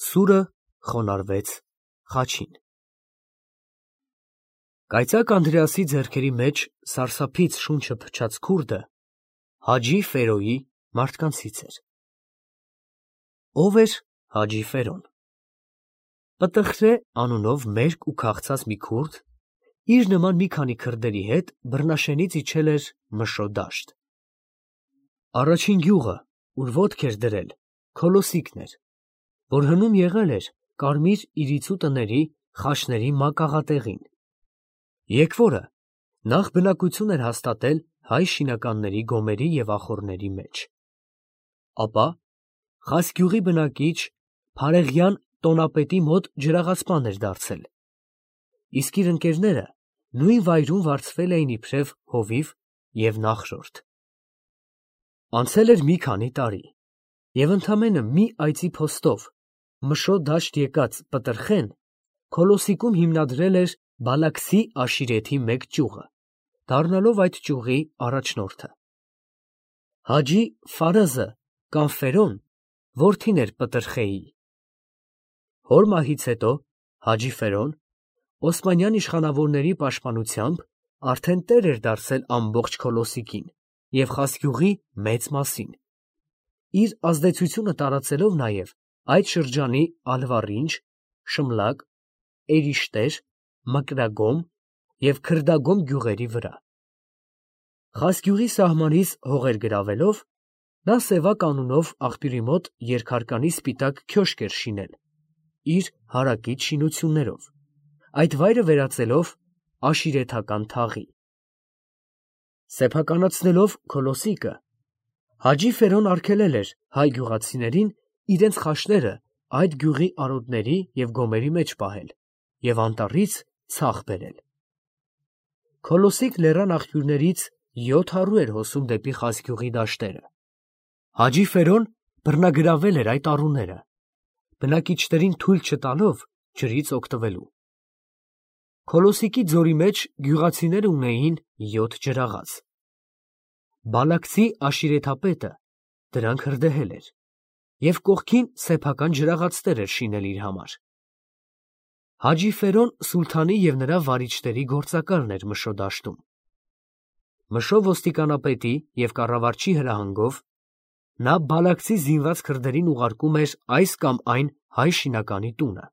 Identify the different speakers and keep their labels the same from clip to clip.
Speaker 1: Սուրը խոնարհվեց խաչին։ Կայծակ Անդրեասի ձեռքերի մեջ սարսափից շունչը փչած քուրդը Հաջի Ֆերոյի մարդկանցից էր։ Ո՞վ էր Հաջի Ֆերոն։ Պտղխրե անունով մերկ ու քաղցած մի քուրդ իր նման մի քանի քրդերի հետ բռնաշենից իջել էր Մշո դաշտ։ Առաջին գյուղը, ուր ոտք էր դրել, Քոլոսիկն էր, որ հնում եղել էր կարմիր իրիցու տների խաչների մակաղատեղին։ Եկվորը նախ բնակություն էր հաստատել հայ շինականների գոմերի և ախոռների մեջ։ Ապա Խասգյուղի բնակիչ Փարեղյան տոնապետի մոտ ջրաղացման էր դարձել, իսկ իր ընկերները նույն վայրում վարձվել էին իբրև հովիվ և նախրորդ։ Անցել էր մի քանի տարի, և ընդամենը մի այծի փոստով Մշո դաշտ եկած Պտղխեն Քոլոսիկում հիմնադրել էր Բալաքսի աշիրեթի մեկ ճյուղը, դառնալով այդ ճյուղի առաջնորդը։ Հաջի Ֆարազը կամ Ֆերոն որդին էր Պտղխեի։ Հոր մահից հետո Հաջի Ֆերոն Օսմանյան իշխանավորների պաշտպանությամբ արդեն տեր էր դարձել ամբողջ Քոլոսիկին և Խասգյուղի մեծ մասին, իր ազդեցությունը տարածելով նաև այդ շրջանի Ալվառինջ, Շմլակ, Էրիշտեր, Մկրագոմ և Քրդագոմ գյուղերի վրա։ Խասգյուղի սահմանից հողեր գրավելով, նա Սևակ անունով աղբյուրի մոտ երկհարկանի սպիտակ քյոշք էր շինել իր հարակից շինություններով, այդ վայրը վերածելով աշիրեթական թաղի։ Սեփականացնելով Քոլոսիկը, Հաջի Ֆերոն արգելել էր հայ գյուղացիներին իրենց խաչները այդ գյուղի արոտների և գոմերի մեջ պահել և անտառից ցախ բերել։ Քոլոսիկ լեռան աղբյուրներից 700 էր հոսում դեպի Խասգյուղի դաշտերը։ Հաջի Ֆերոն բռնագրավել էր այդ առուները, բնակիչներին թույլ չտալով ջրից օգտվելու։ Քոլոսիկի ձորի մեջ գյուղացիները ունեին 7 ջրաղաց։ Բալաքսի աշիրեթապետը դրանք հրդեհել էր և կողքին սեփական ջրաղացներ էր շինել իր համար։ Հաջի Ֆերոն սուլթանի և նրա վարիչների գործակալն էր Մշո դաշտում։ Մշո ոստիկանապետի և կառավարչի հրահանգով նա Բալաքսի զինված քրդերին ուղարկում էր այս կամ այն հայ շինականի տունը,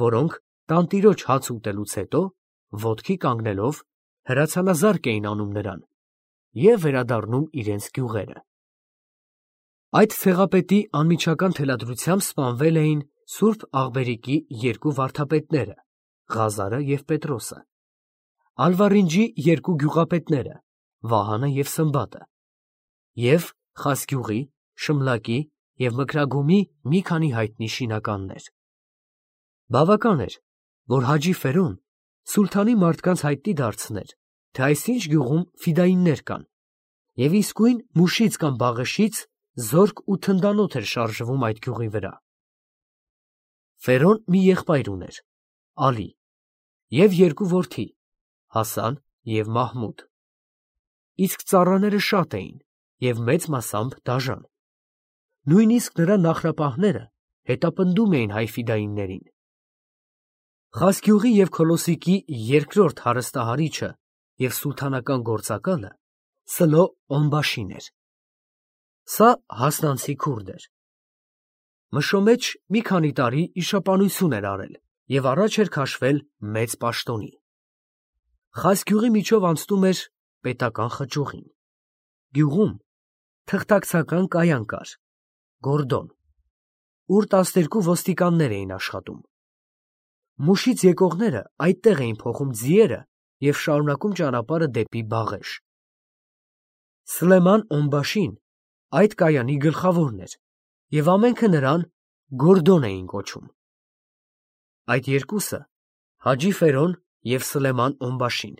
Speaker 1: որոնք տանտիրոջ հաց ուտելուց հետո, ոտքի կանգնելով, հրացանազարկ էին անում նրան և վերադառնում իրենց գյուղերը։ Այդ ցեղապետի անմիջական թելադրությամբ սպանվել էին Սուրբ Աղբերիկի երկու վարդապետները՝ Ղազարը և Պետրոսը, Ալվառինջի երկու գյուղապետները՝ Վահանը և Սմբատը, և Խասգյուղի, Շմլակի և Մկրագոմի մի քանի հայտնի շինականներ։ Բավական էր, որ Հաջի Ֆերոն սուլթանի մարդկանց հայտնի դարձներ, թե այսինչ գյուղում ֆիդայիններ կան, և իսկույն մուշից կամ բաղեշից զորք ու թնդանոթ էր շարժվում այդ գյուղի վրա։ Ֆերոն մի եղբայր ուներ՝ Ալի, և երկու որդի՝ Հասան և Մահմուդ, իսկ ծառաները շատ էին և մեծ մասամբ դաժան։ Նույնիսկ նրա նախրապահները հետապնդում էին հայ ֆիդայիններին։ Խասգյուղի և Քոլոսիկի երկրորդ հարստահարիչը և սուլթանական գործակալը Սլո Օնբաշին էր։ Սա հասնանցի քուրդ էր։ Մշո մեջ մի քանի տարի իշխանություն էր արել և առաջ էր քաշվել մեծ պաշտոնի։ Խասգյուղի միջով անցնում էր պետական խճուղին։ Գյուղում թղթակցական կայան կար, գորդոն, ուր 12 ոստիկաններ էին աշխատում։ Մուշից եկողները այդտեղ էին փոխում ձիերը և շարունակում ճանապարհը դեպի Բաղեշ։ Սլեման Օնբաշին այդ կայանի գլխավորն էր, և ամենքը նրան Գորդոն էին կոչում։ Այդ երկուսը՝ Հաջի Ֆերոն և Սլեման Օնբաշին,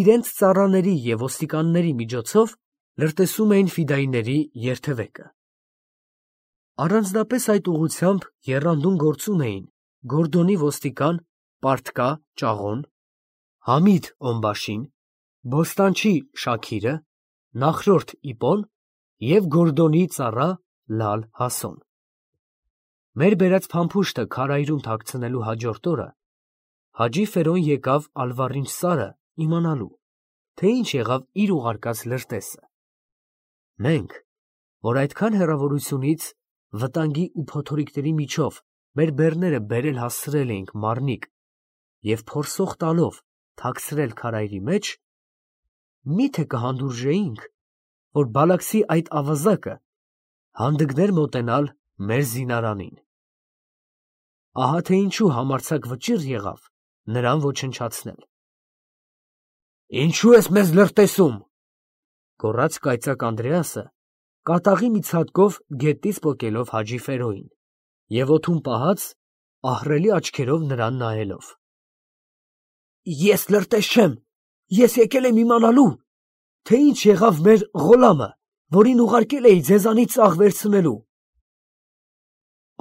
Speaker 1: իրենց ծառաների և ոստիկանների միջոցով լրտեսում էին ֆիդայինների երթևեկը։ Առանձնապես այդ ուղղությամբ եռանդուն գործում էին Գորդոնի ոստիկան Պարթկա Ճաղոն, Համիդ Օնբաշին, Բոստանչի Շաքիրը, նախրորդ Իպոն և Գորդոնի ծառա Լալ Հասոն։ Մեր բերած փամփուշտը քարայրում թաքցնելու հաջորդ օրը Հաջի Ֆերոն եկավ Ալվառինչ Սարը իմանալու, թե ինչ եղավ իր ուղարկած լրտեսը։ Մենք, որ այդքան հեռավորությունից վտանգի ու փոթորիկների միջով մեր բեռները բերել հասցրել էինք Մարնիկ և փորսող տալով թաքցրել քարայրի մեջ, միթե կհանդուրժեինք, որ Բալաքսի այդ ավազակը հանդգներ մոտենալ մեր զինարանին։ Ահա թե ինչու համարձակ վճիռ եղավ նրան ոչնչացնել։ «Ինչու ես մեզ լրտեսում», գոռաց կայծակ Անդրեասը, կատաղի մի ցատկով գետից պոկելով Հաջի Ֆերոյին և օդում պահած ահռելի աչքերով նրան նայելով։ «Ես լրտես չեմ, ես եկել եմ իմանալու, թե ինչ եղավ մեր Ղոլամը, որին ուղարկել էի ձեզանից ծաղ վերցնելու»։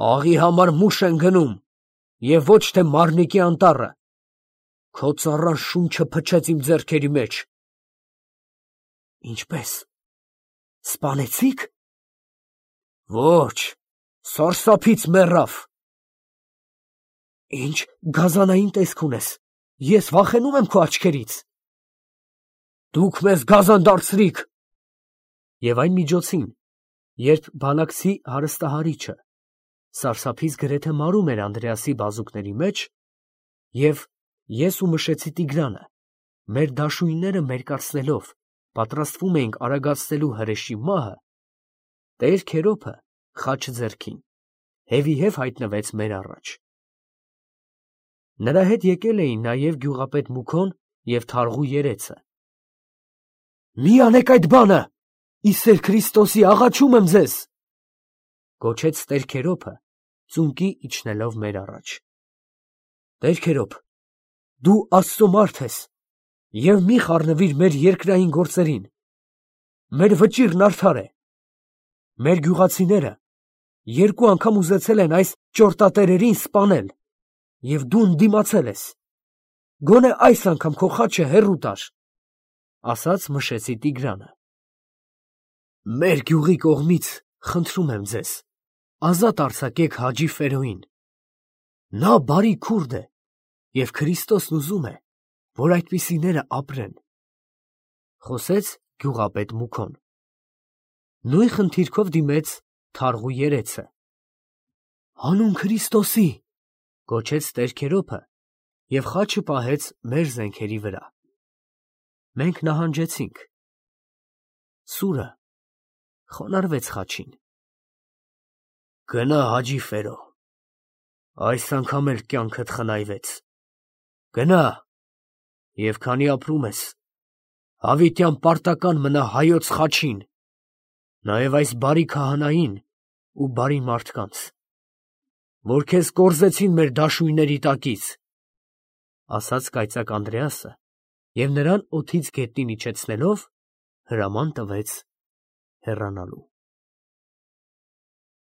Speaker 1: «Աղի համար մուշ են գնում և ոչ թե Մարնիկի անտառը, քո ծառան շունչը փչեց իմ ձեռքերի մեջ»։ «Ինչպե՞ս, սպանեցի՞ք»։ «Ոչ, սարսափից մեռավ»։ «Ինչ գազանային տեսք ունես, ես վախենում եմ քո աչքերից»։ «Դուք մեզ գազան դարձրիք»։ Եվ այն միջոցին, երբ Բալաքսի հարստահարիչը սարսափից գրեթե մարում էր Անդրեասի բազուկների մեջ, և ես ու Մշեցի Տիգրանը մեր դաշույնները մերկացնելով պատրաստվում էինք արագացնելու հրեշի մահը, Տեր Քերոբը խաչը ձեռքին հևիհև հայտնվեց մեր առաջ։ Նրա հետ եկել էին նաև գյուղապետ Մուքոն և թարղու երեցը։ «Մի անեք այդ բանը, ի սեր Քրիստոսի աղաչում եմ ձեզ», գոչեց Տեր Քերոբը, ծունկի իջնելով մեր առաջ։ «Տեր Քերոբ, դու Աստծո մարդ ես և մի խառնվիր մեր երկրային գործերին, մեր վճիռն արդար է։ Մեր գյուղացիները երկու անգամ ուզեցել են այս ճորտատերերին սպանել, և դու ընդդիմացել ես, գոնե այս անգամ քո խաչը հեռու տար», ասաց Մշեցի Տիգրանը։ «Մեր գյուղի կողմից խնդրում եմ ձեզ, ազատ արձակեք Հաջի Ֆերոյին, նա բարի քուրդ է և Քրիստոսն ուզում է, որ այդպիսիները ապրեն», խոսեց գյուղապետ Մուքոն։ Նույն խնդիրքով դիմեց թարղու երեցը։ «Հանուն Քրիստոսի», գոչեց Տեր Քերոբը և խաչը պահեց մեր զենքերի վրա։ Մենք նահանջեցինք։ Սուրը խոնարհվեց խաչին։ «Գնա, Հաջի Ֆերո, այս անգամ էլ կյանքդ խնայվեց։ Գնա և քանի ապրում ես, հավիտյան պարտական մնա հայոց խաչին, նաև այս բարի քահանային ու բարի մարդկանց, որ քեզ կորզեցին մեր դաշույնների տակից», ասաց կայծակ Անդրեասը և նրան օդից գետնին իջեցնելով հրաման տվեց հեռանալու։